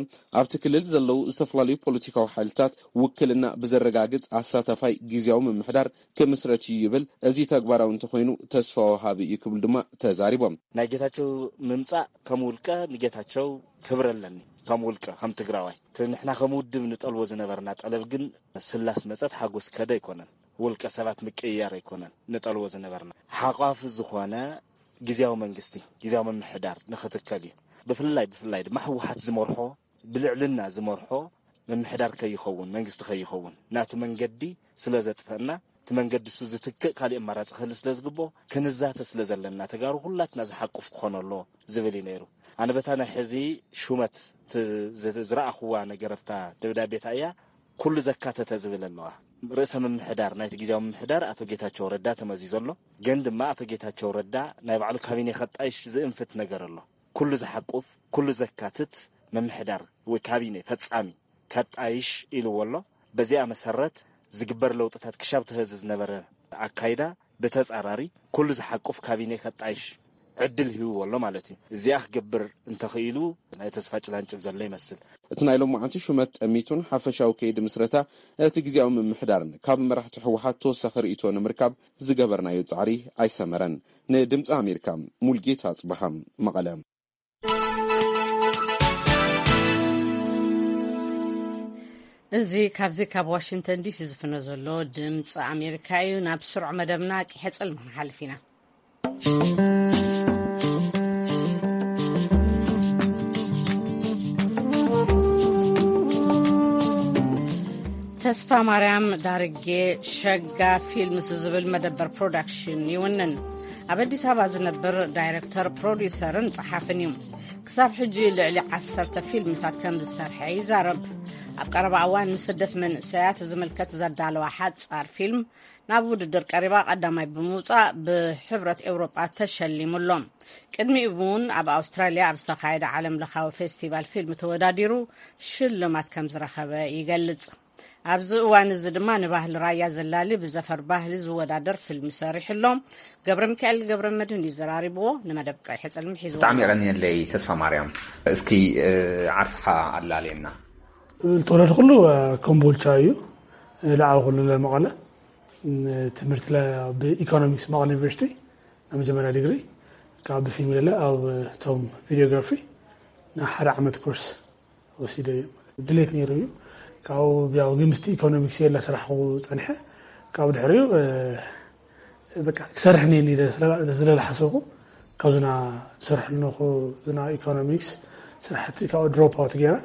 ኣብቲ ክልል ዘለዉ ዝተፈላለዩ ፖለቲካዊ ሓይልታት ውክልና ብዘረጋግፅ ኣሳታፋይ ግዜያዊ ምምሕዳር ክምስረት እዩ ይብል። እዚ ተግባራዊ እንተኮይኑ ተስፋ ወሃቢ እዩ ክብሉ ድማ ተዛሪቦም። ናይ ጌታቸው ምምፃእ ከም ውልቀ ንጌታቸው ክብሪ ኣለኒ። ከም ውልቀ ከም ትግራዋይ እቲ ንሕና ከም ውድብ ንጠልቦ ዝነበርና ጠለብ ግን ስላስ መፀት ሓጎስ ከደ ኣይኮነን። ውልቀ ሰባት ምቅይያር ኣይኮነን ንጠልቦ ዝነበርና። ሓቋፊ ዝኾነ ግዜያዊ መንግስቲ፣ ግዜያዊ ምምሕዳር ንኽትከል እዩ። ብፍላይ ብፍላይ ድማ ህወሓት ዝመርሖ ብልዕልና ዝመርሖ ምምሕዳር ከይኸውን፣ መንግስቲ ከይኸውን፣ ናቱ መንገዲ ስለ ዘጥፈና፣ እቲ መንገዲ እሱ ዝትክእ ካልእ ኣማራጺ ክህሉ ስለ ዝግብኦ፣ ክንዛተ ስለ ዘለና፣ ተጋሩ ኩላትና ዝሓቁፍ ክኾን ኣለዎ ዝብል እዩ ነይሩ። ኣነ በታ ናይ ሕዚ ሹመት ት-፣ ዝ-፣ ዝረኣኹዋ ነገር ኣብታ ደብዳቤ እያ፣ ኩሉ ዘካተተ ዝብል ኣለዋ። ርእሰ ምምሕዳር ናይቲ ግዜያዊ ምምሕዳር ኣቶ ጌታቸው ረዳ ተመዚዙ ኣሎ። ግን ድማ ኣቶ ጌታቸው ረዳ ናይ ባዕሉ ካቢኔ ከጣይሽ ዝእንፍት ነገር ኣሎ። ኩሉ ዝሓቁፍ፣ ኩሉ ዘካትት ምምሕዳር ወይ ካቢኔ ፈጻሚ ከጣይሽ ኢልዎ ኣሎ። በዚኣ መሰረት ዝግበር ለውጥታት ክሻብ ተህዚ ዝነበረ ኣካይዳ ብተጻራሪ ኩሉ ዝሓቁፍ ካቢኔ ከጣይሽ ዕድል ሂብዎ ኣሎ ማለት እዩ። እዚኣ ክገብር እንተኽኢሉ ናይ ተስፋ ጭላንጭል ዘሎ ይመስል። እቲ ናይ ሎማዓንቲ ሹመት ጠሚቱን ሓፈሻዊ ከይዲ ምስረታ እቲ ግዜያዊ ምምሕዳርን ካብ መራሕቲ ህወሓት ተወሳኺ ርእይቶ ንምርካብ ዝገበርናዮ ጻዕሪ ኣይሰመረን። ንድምፂ ኣሜሪካ ሙልጌታ ጽበሃ መቐለ። እዚ ካብዚ ካብ ዋሽንግተን ዲሲ ዝፍኖ ዘሎ ድምፂ ኣሜሪካ እዩ። ናብ ስሩዕ መደብና ቂሐ ጽልሚ ክንሓልፍ ኢና። ተስፋ ማርያም ዳርጌ ሸጋ ፊልምስ ዝብል መደበር ፕሮዳክሽን ይውንን። ኣብ ኣዲስ ኣበባ ዝነብር ዳይረክተር፣ ፕሮዲውሰርን ጸሓፍን እዩ። ክሳብ ሕጂ ልዕሊ ዓሰርተ ፊልምታት ከም ዝሰርሐ ይዛረብ። ኣብ ቀረባ እዋን ንስደት መንእሰያት ዝምልከት ዘዳለዋ ሓጻር ፊልም ናብ ውድድር ቀሪባ ቀዳማይ ብምውጻእ ብሕብረት ኤውሮጳ ተሸሊሙ ኣሎ። ቅድሚኡ እውን ኣብ ኣውስትራልያ ኣብ ዝተኻየደ ዓለም ለኻዊ ፌስቲቫል ፊልም ተወዳዲሩ ሽልማት ከም ዝረኸበ ይገልጽ። ኣብዚ እዋን እዚ ድማ ንባህሊ ራያ ዘላሊ ብዘፈር ባህሊ ዝወዳደር ፊልም ሰሪሑ ኣሎ። ገብረ ሚካኤል ገብረ መድህን እዩ ዘራሪብዎ። ንመደብ ቀይሕ ጽልሚ ሒዝዎ ብጣዕሚ ኣሎ። የቐንየለይ ተስፋ ማርያም። እስኪ፣ እ፣ ዓርስኻ ኣላልየና። ዝተወለድኩሉ፣ እ፣ ኮምቦልቻ እዩ። እ፣ ለዓበኩሉ መቐለ። እ፣ ትምህርቲ ለ-፣ ብኢኮኖሚክስ መቐለ ዩኒቨርሲቲ ናይ መጀመርያ ዲግሪ። ካብ ብፊልም ለለ ኣብ፣ እ፣ ቶም ቪዲዮግራፊ ንሓደ ዓመት ኮርስ ወሲደ እየ። ድሌት ነይሩ እዩ። ካብኡ ያው ግን ምስቲ ኢኮኖሚክስ እየ እናሰራሕኩ ጸኒሐ። ካብኡ ድሕሪኡ፣ እ፣ በቃ ክሰርሕ እኒአኒ ኢለ ስለ፣ ስለ ዝሓሰብኩ፣ ካብዚ ና ዝሰርሐሉ ነኹ፣ እዚ ና ኢኮኖሚክስ ስራሕቲ ካብኡ ድሮፕ ኣውት ገይረ፣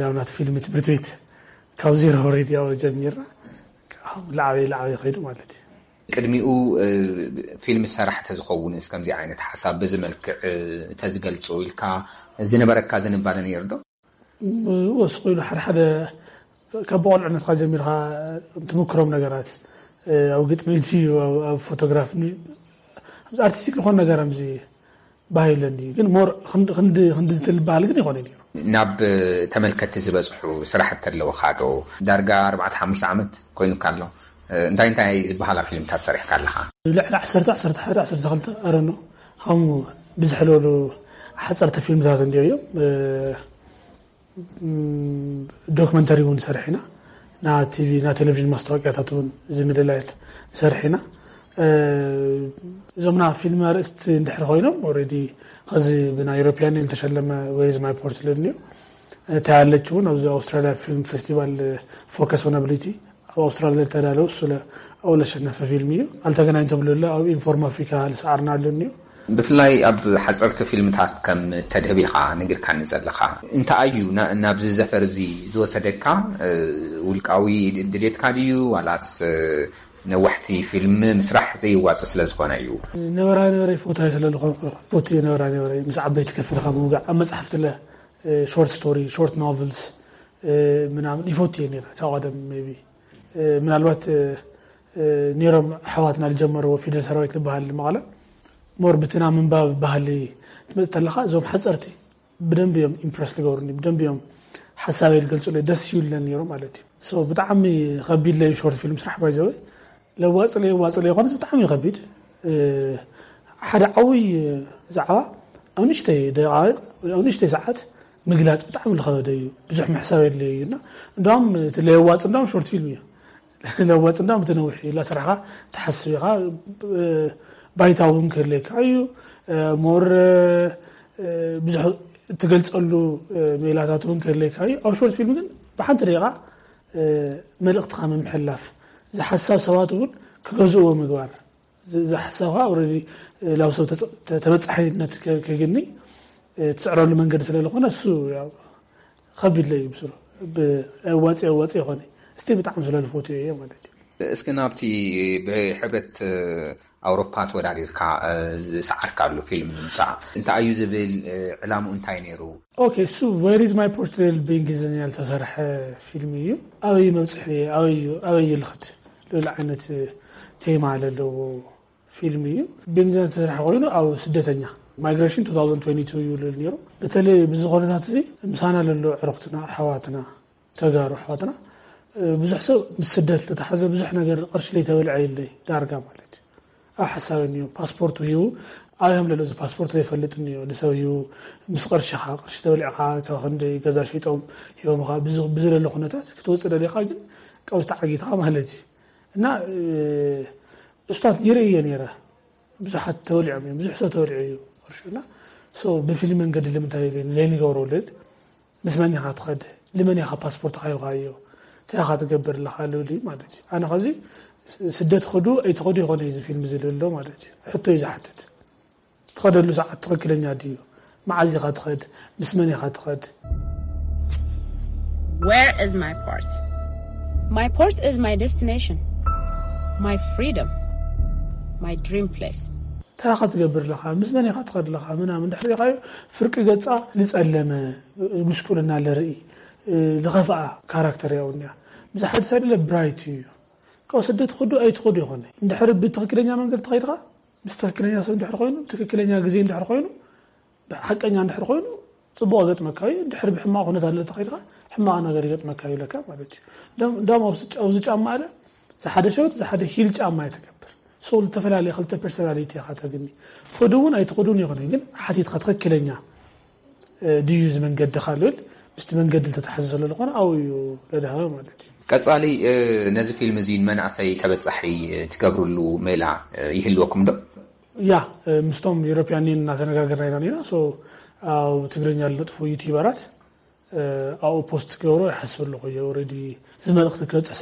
ናብ ናቲ ፊልም ትምህርቲ ቤት ካብ ዜሮ ወሪድ ያው ጀሚርና፣ ካብ ላዕበይ ላዕበይ ከይዱ ማለት እዩ። ቅድሚኡ፣ እ፣ ፊልም ሰራሕ ተዝኸውን፣ እስከምዚ ዓይነት ሓሳብ በዚ መልክዕ፣ እ፣ ተዝገልጾ ኢልካ ዝነበረካ ዝንባለ ነይሩ ዶ? ወስኹ ኢሉ ሓደ ሓደ ካብ ብቆልዕነትካ ጀሚርካ ትምክሮም ነገራት፣ እ፣ ኣብ ግጥሚ፣ ኣብ፣ ኣብ ፎቶግራፍ፣ ኣብዚ ኣርቲስቲክ ዝኾነ ነገር ኣብዚ ባህይ ኣለኒ። ግን ሞር ክንዲ፣ ክንዲ፣ ክንዲ ዝትል በሃል ግን ይኾነ ነይሩ። ናብ ተመልከትቲ ዝበጽሑ ስራሕቲ ኣለውኻ ዶ? ዳርጋ ኣርባዕተ ሓሙሽተ ዓመት ኮይኑካ ኣሎ። እ፣ እንታይ እንታይ ዝበሃላ ፊልምታት ሰሪሕካ ኣለኻ? ልዕሊ ዓሰርተ፣ ዓሰርተ ሓደ፣ ዓሰርተ ክልተ፣ ኣረኖ፣ ከምኡ ብዝሕ ዝበሉ ሓጸርቲ ፊልምታት እንዲዮ እዮም። እ፣ ም፣ ዶክመንተሪ እውን ንሰርሕ ኢና። ና ቲቪ፣ ና ቴሌቪዥን ማስታወቂያታት እውን እዚ ምልላያት ንሰርሕ ኢና። እ፣ እዞም ና ፊልም ኣርእስቲ እንድሕር ኮይኖም፣ ኦልሬዲ ኸዚ ብናይ ዩሮፒያን ዝተሸለመ Where is my Portland እዩ። እታ ያለች እውን ኣብዚ ኣውስትራሊያ ፊልም ፌስቲቫል ፎከስ ኦን ኣቢሊቲ ኣብ ኣውስትራሊያ ዝተዳለወ እሱ ለ-፣ ኣብኡ ለሸነፈ ፊልም እዩ። ኣልተገናኝቶም ልለ ኣብ ኢንፎርም ኣፍሪካ ልሰዓርና ኣለኒ እዩ። ብፍላይ ኣብ ሓፀርቲ ፊልምታት ከም ተድህብ ኢኻ ነጊርካኒ ዘለኻ። እንታይ እዩ ና-፣ ናብዚ ዘፈር እዚ ዝወሰደካ? እ፣ ውልቃዊ ድሌትካ ድዩ ዋላስ፣ እ፣ ነዋሕቲ ፊልም ምስራሕ ዘይዋጽእ ስለ ዝኾነ እዩ? ነበራ ነበረ ይፈትዎ ስለ ዝኾንኩ፣ ይፈቱ እየ ነበራ ነበረ። ምስ ዓበይቲ ከፊልካ ምውጋዕ፣ ኣብ መጽሓፍቲ ለ፣ እ፣ ሾርት ስቶሪ፣ ሾርት ኖቨልስ፣ እ፣ ምናምን ይፈቱ እየ ነይረ ካብ ቀደም ሜቢ። እ፣ ምናልባት፣ እ፣ እ፣ ነይሮም ኣሕዋትና ዝጀመርዎ ፊደል ሰራዊት ዝበሃል መቐለ ሞር ብትና ምንባብ ባህሊ ትመጽእ ተለኻ እዞም ሓጸርቲ ብደንብ እዮም ኢምፕረስ ዝገብሩኒ፣ ብደንብ እዮም ሓሳበይ ዝገልጹለይ፣ ደስ ይብለኒ ነይሩ ማለት እዩ። ሶ ብጣዕሚ ከቢድ ለዩ ሾርት ፊልም ስራሕ ባይዘወይ ለዋጽ ለይ ዋጽ ለይ ይኾንስ ብጣዕሚ እዩ ከቢድ። እ፣ ሓደ ዓብይ ዛዕባ ኣብ ንእሽተይ ደቃይቕ ወይ ኣብ ንእሽተይ ሰዓት ምግላጽ ብጣዕሚ ዝኸበደ እዩ። ብዙሕ ምሕሳብ የድልዮ እዩ እና እንዳውም እቲ ለየዋጽ እንዳውም ሾርት ፊልም እዩ። ለዋጽ እንዳውም እቲ ነዊሕ እዩ። ላስራሕኻ ትሓስብ ኢኻ። እ፣ ባይታ እውን ክህልየካ እዩ። እ፣ ሞር፣ እ፣ ብዙሕ እትገልጸሉ፣ እ፣ ሜላታት እውን ክህልየካ እዩ። ኣብ ሾርት ፊልም ግን ብሓንቲ ደቂቓ፣ እ፣ መልእኽትኻ ምምሕልላፍ፣ እዚ ሓሳብ ሰባት እውን ክገዝእዎ ምግባር፣ እዚ፣ እዚ ሓሳብ ከዓ ኦልሬዲ፣ እ፣ ላብ ሰብ ተጸ-፣ ተ-፣ ተበጻሒነት ከ-፣ ከግኒ፣ እ፣ ትስዕረሉ መንገዲ ስለ ዝኾነ እሱ ያው ከቢድ ለይ እዩ ብስሩ። ብኣዋፂ ኣዋፂ ይኾነ እስቲ ብጣዕሚ ስለዝፈትዮ እየ ማለት እዩ። እስኪ ናብቲ ብሕብረት ኣውሮፓ ተወዳዲርካ ዝሰዓርካሉ ፊልም ንምፃእ እንታይ እዩ ዝብል? ዕላምኡ እንታይ ነይሩ? ኦኬ፣ እሱ Where is my Portrait ብእንግሊዝኛ ዝተሰርሐ ፊልም እዩ። ኣበይ መብፅሒ፣ ኣበይ ልኽድ ልብል ዓይነት ቴማ ዘለዎ ፊልም እዩ። ብእንግሊዝኛ ዝተሰርሐ ኮይኑ ኣብ ስደተኛ ማይግሬሽን two thousand twenty two እዩ ልብል ነይሩ። በተለይ ብዚ ኩነታት እዚ ምሳና ለሎ ዕረክትና ኣሕዋትና ተጋሩ ኣሕዋትና ብዙሕ ሰብ ምስ ስደት ዝተተሓዘ ብዙሕ ነገር ቅርሺ ለይተበልዐ የለይ ዳርጋ ማለት እዩ። ኣብ ሓሳብ እኒኦ ፓስፖርት ሂቡ ኣበይ ከም ዘሎ እዚ ፓስፖርት ዘይፈልጥ እኒኦ ንሰብ ሂቡ ምስ ቅርሽኻ ቅርሺ ተበሊዕኻ ካብ ክንደይ ገዛ ሸይጦም ሂቦምኻ ብዝለሎ ኩነታት ክትወፅእ ደሊኻ ግን ቀውስቲ ዓጊትኻ ማለት እዩ። እና እሱታት ይርኢ እየ ነይረ ብዙሓት ተበሊዖም እዮም ብዙሕ ሰብ ተበሊዑ እዩ ቅርሽና ብፊልም መንገዲ ልምንታይ ለይንገብሮ ልል ምስ መን ኢኻ ትኸድ ልመን ኢኻ ፓስፖርት ካይኻዮ እንታይ ኢኻ ትገብር ኣለኻ ልብል እዩ ማለት እዩ። ኣነ ከዚ ስደት ኸዱ ኣይትኸዱ ይኾነ እዚ ፊልም ዝልሎ ማለት እዩ። ሕቶ እዩ ዝሓትት ትኸደሉ ሰዓት ትኽክለኛ ድዩ? መዓዝ ኢኻ ትኸድ? ምስ መን ኢኻ ትኸድ? Where is my port? My port is my destination, my freedom, my dream place. እንታይ ኢኻ ትገብር ኣለኻ? ምስ መን ኢኻ ትኸድ ኣለኻ? ምናምን ድሕሪ ኢኻዮ ፍርቂ ገጻ ዝጸለመ ጉስቁልና ለርኢ ዝኸፍኣ ካራክተር ያው እኒያ ምስ ሓደ ሰብ ደለ ብራይት እዩ ካብ ስደት ትኸዱ ኣይትኸዱ ይኾነ እንድሕሪ ብትኽክለኛ መንገዲ ተኸይድኻ ምስ ትኽክለኛ ሰብ እንድሕር ኮይኑ ትኽክለኛ ግዜ እንድሕር ኮይኑ ሓቀኛ እንድሕር ኮይኑ ጽቡቕ ገጥመካ እዩ። እንድሕር ብሕማቕ ኩነታት ለተኸይድካ ሕማቕ ነገር ይገጥመካ እዩ ለካ ማለት እዩ። እንዳም ኣብዚ ጫማ ኣለ ዝሓደ ሸወት ዝሓደ ሂል ጫማ እየ ትገብር። ሰው ዝተፈላለየ ክልተ ፐርሶናሊቲ ኢኻ ተግኒ። ትኸዱ እውን ኣይትኸዱን ይኾነ ግን ሓቲትካ ትኽክለኛ ድዩ እዚ መንገዲ ካልብል ምስቲ መንገዲ ዝተተሓዘ ስለ ዝኾነ ኣብኡ እዩ ለድሃበ ማለት እዩ። ቀጻሊ ነዚ ፊልም እዚ ንመናእሰይ ተበጻሒ ትገብርሉ ሜላ ይህልወኩም ዶ? ያ ምስቶም European Union እናተነጋገርና ኢና ነና። ኣብ ትግርኛ ዝለጥፉ ዩቲዩበራት ኣብኡ ፖስት ክገብሮ ይሓስብ ኣለኹ። ኦልሬዲ እዚ መልእኽቲ ክበፅሕ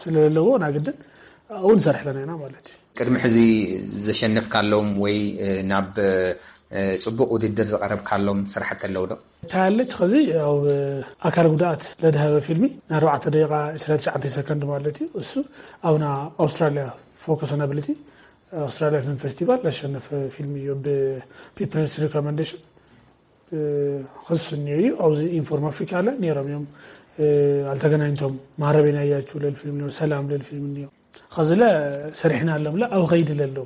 ስለለዎ ናግድን ኣብኡ ንሰርሕ ኣለና ኢና ማለት እዩ። ቅድሚ ሕዚ ዘሸነፍካሎም ወይ ናብ ፅቡቕ ውድድር ዝቐረብካሎም ስራሕቲ ኣለዉ ዶ? እንታይ ኣለች ኸዚ ኣብ ኣካል ጉድኣት ለድሃበ ፊልሚ ንኣርባዕተ ደቂቓ ዕስራን ትሽዓተን ሰከንድ ማለት እዩ። እሱ ኣብና ኣውስትራሊያ ፎከስ ናብሊቲ ኣውስትራሊያ ፊልም ፌስቲቫል ለሸነፈ ፊልም እዩ። ብፒፕልስ ሪኮመንዴሽን ክስንዮ እዩ። ኣብዚ ኢንፎርም ኣፍሪካ ለ ነይሮም እዮም። ኣልተገናኝቶም ማረቤና እያችሁ ለል ፊልም ነይሩ፣ ሰላም ለል ፊልም ነይሩ። ኸዚለ ሰሪሕና ኣለምለ ኣብ ኸይዲ ለለው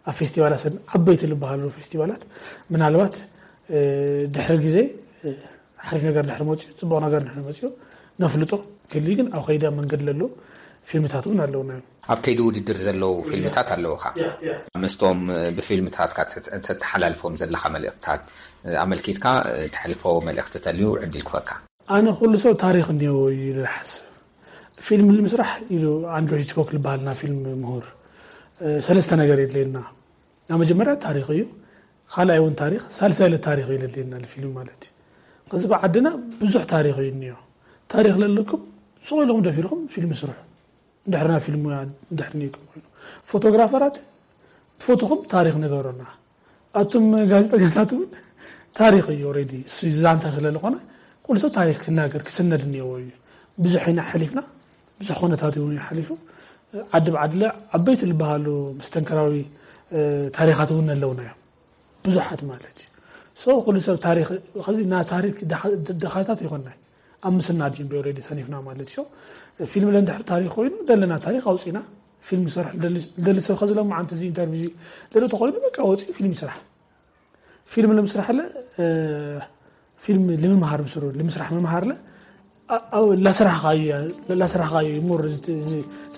ኣብ ፌስቲቫላት ዓበይቲ ዝበሃሉ ፌስቲቫላት ምናልባት ድሕሪ ግዜ ሓሪፍ ነገር ድሕሪ መፅኡ ፅቡቕ ነገር ድሕሪ መፅኡ ነፍልጦ ክሊ ግን ኣብ ኸይዲ ኣብ መንገዲ ለለው ፊልምታት እውን ኣለውና እዮም። ኣብ ከይዲ ውድድር ዘለዉ ፊልምታት ኣለውኻ። ምስቶም ብፊልምታትካ ተተሓላልፎም ዘለኻ መልእኽትታት ኣመልኪትካ ተሕልፎ መልእኽቲ ተልዩ ዕድል ክፈካ። ኣነ ኩሉ ሰብ ታሪኽ እኒዎ እዩ ኢለ ዝሓስብ። ፊልም ንምስራሕ ኢሉ ኣንድሮ ሂችኮክ ዝበሃልና ፊልም ምሁር ሰለስተ ነገር የድልየና። ናብ መጀመርያ ታሪኽ እዩ፣ ካልኣይ እውን ታሪኽ፣ ሳልሳይ ለ ታሪኽ እዩ ለድልየና ንፊልም ማለት እዩ። ከዚ ብዓድና ብዙሕ ታሪኽ እዩ እኒኦ። ታሪኽ ለለኩም ሱቕ ኢልኩም ደፊርኩም ፊልም ስርሑ። እንድሕርና ፊልም ሙያ እንድሕር ነይኩም ኮይኑ ፎቶግራፈራት ፎቶኹም ታሪኽ ነገሩና። ኣቱም ጋዜጠኛታት እውን ታሪኽ እዩ ኦልሬዲ እሱ ዛንታ ስለ ዝኾነ ኩሉ ሰብ ታሪኽ ክናገር ክስነድ እኒኦዎ እዩ። ብዙሕ ኢና ሓሊፍና ብዙሕ ኩነታት እውን ሓሊፉ ዓዲ ብዓድለ ዓበይቲ ዝበሃሉ መስተንከራዊ ታሪኻት እውን ኣለውና እዮም ብዙሓት ማለት እዩ። ሶ ኩሉ ሰብ ታሪኽ ኸዚ ና ታሪክ ድኻታት ይኾና ኣብ ምስና ድዩ ኦልሬዲ ሰኒፍና ማለት እዩ። ፊልም ለንድሕር ታሪክ ኮይኑ ደለና ታሪክ ኣውፂና ፊልም ይሰርሕ ደሊ ሰብ ኸዚ ሎም ዓንቲ እዚ ኢንተርቪው ደሎ ተኾይኑ በቃ ወፂኡ ፊልም ይስራሕ። ፊልም ንምስራሕ ለ ፊልም ልምምሃር ምስሩ ልምስራሕ ምምሃር ለ ላስራሕኻዩ ሞር እቲ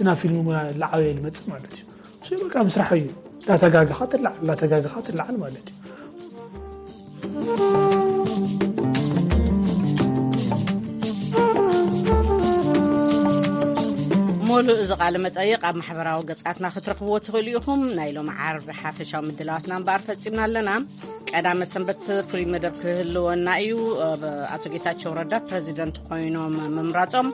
ናብ ፊልም ሙያ ላዓበየ ልመፅእ ማለት እዩ። እሱ በቃ ምስራሕ እዩ። ላተጋግኻ ትላዓል ላተጋግኻ ትላዓል ማለት እዩ። ሙሉእ እዚ ቃለ መጠይቕ ኣብ ማሕበራዊ ገጻትና ክትረኽብዎ ትኽእሉ ኢኹም። ናይ ሎሚ ዓርቢ ሓፈሻዊ ምድላዋትና እምበኣር ፈጺምና ኣለና። ቀዳመ ሰንበት ፍሉይ መደብ ክህልወና እዩ። ኣቶ ጌታቸው ረዳ ፕረዚደንት ኮይኖም ምምራጾም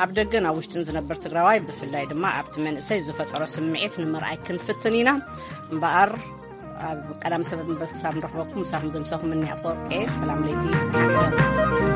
ኣብ ደገን ኣብ ውሽጥን ዝነብር ትግራዋይ ብፍላይ ድማ ኣብቲ መንእሰይ ዝፈጠሮ ስምዒት ንምርኣይ ክንፍትን ኢና። እምበኣር ኣብ ቀዳመ ሰንበት ክሳብ ንረኽበኩም ምሳኹም ዘምሰኹም እኒ ኣፈወርቂ ሰላም ለይቲ።